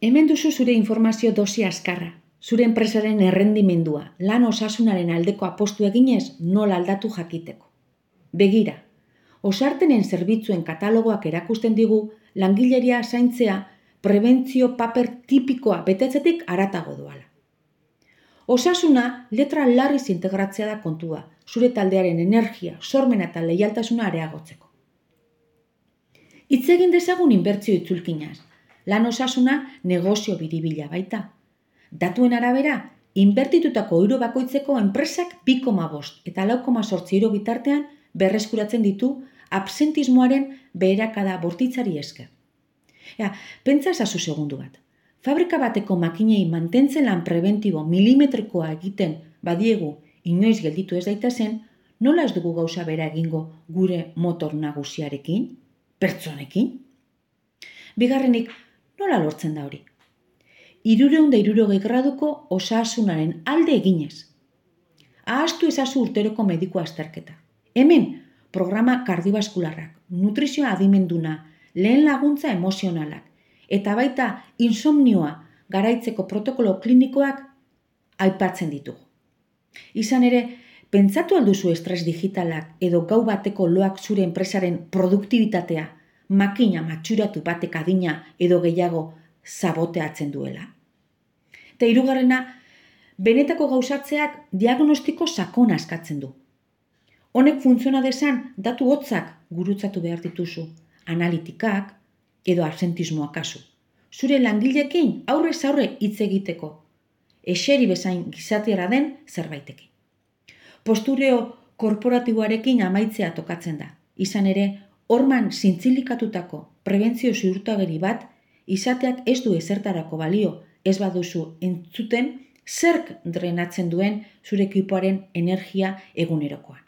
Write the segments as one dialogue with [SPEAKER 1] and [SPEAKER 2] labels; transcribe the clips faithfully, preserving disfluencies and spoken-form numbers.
[SPEAKER 1] Hemen duzu zure informazio dosi azkarra, zure enpresaren errendimendua, lan osasunaren aldeko apostu eginez nola aldatu jakiteko. Begira, osartenen zerbitzuen katalogoak erakusten digu langileria zaintzea prebentzio paper tipikoa betetzetik haratago doala. Osasuna letra larriz integratzea da kontua, zure taldearen energia, sormena eta leialtasuna areagotzeko. Hitz egin dezagun inbertsio itzulkinaz. Lan osasuna negozio biribila baita. Datuen arabera, inbertitutako euro bakoitzeko enpresak bi koma bost eta lau koma zortzi euro bitartean berreskuratzen ditu absentismoaren beherakada bortitzari esker. Ja, pentsa ezazu segundu bat. Fabrika bateko makinei mantentzen lan prebentibo milimetrikoa egiten badiegu inoiz gelditu ez daitezen, nola ez dugu gauza bera egingo gure motor nagusiarekin, pertsonekin? Bigarrenik, nola lortzen da hori? Hirurehun eta hirurogei graduko osasunaren alde eginez. Ahaztu ezazu urteroko mediku azterketa. Hemen, programa kardiobaskularrak, nutrizioa adimenduna, lehen laguntza emozionalak, eta baita insomnioa garaitzeko protokolo klinikoak aipatzen ditugu. Izan ere, pentsatu alduzu estres digitalak edo gau bateko loak zure enpresaren produktibitatea, makina matxuratu batek adina edo gehiago saboteatzen duela. Eta hirugarrena, benetako gauzatzeak diagnostiko sakona eskatzen du. Honek funtziona dezan, datu hotzak gurutzatu behar dituzu, analitikak edo absentismoa kasu. Zure langileekin aurrez aurre hitz egiteko, eseri bezain gizatiara den zerbaitekin. Postureo korporatiboarekin amaitzea tokatzen da. Izan ere, horman zintzilikatutako prebentzio ziurtagiri bat izateak ez du ezertarako balio, ez baduzu entzuten zerk drenatzen duen zure ekipoaren energia egunerokoan.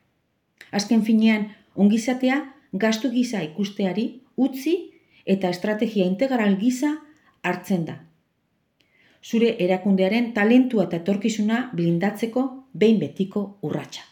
[SPEAKER 1] Azken finean, ongizatea gastu gisa ikusteari utzi eta estrategia integral gisa hartzen da. Zure erakundearen talentua eta etorkizuna blindatzeko behin betiko urratsa.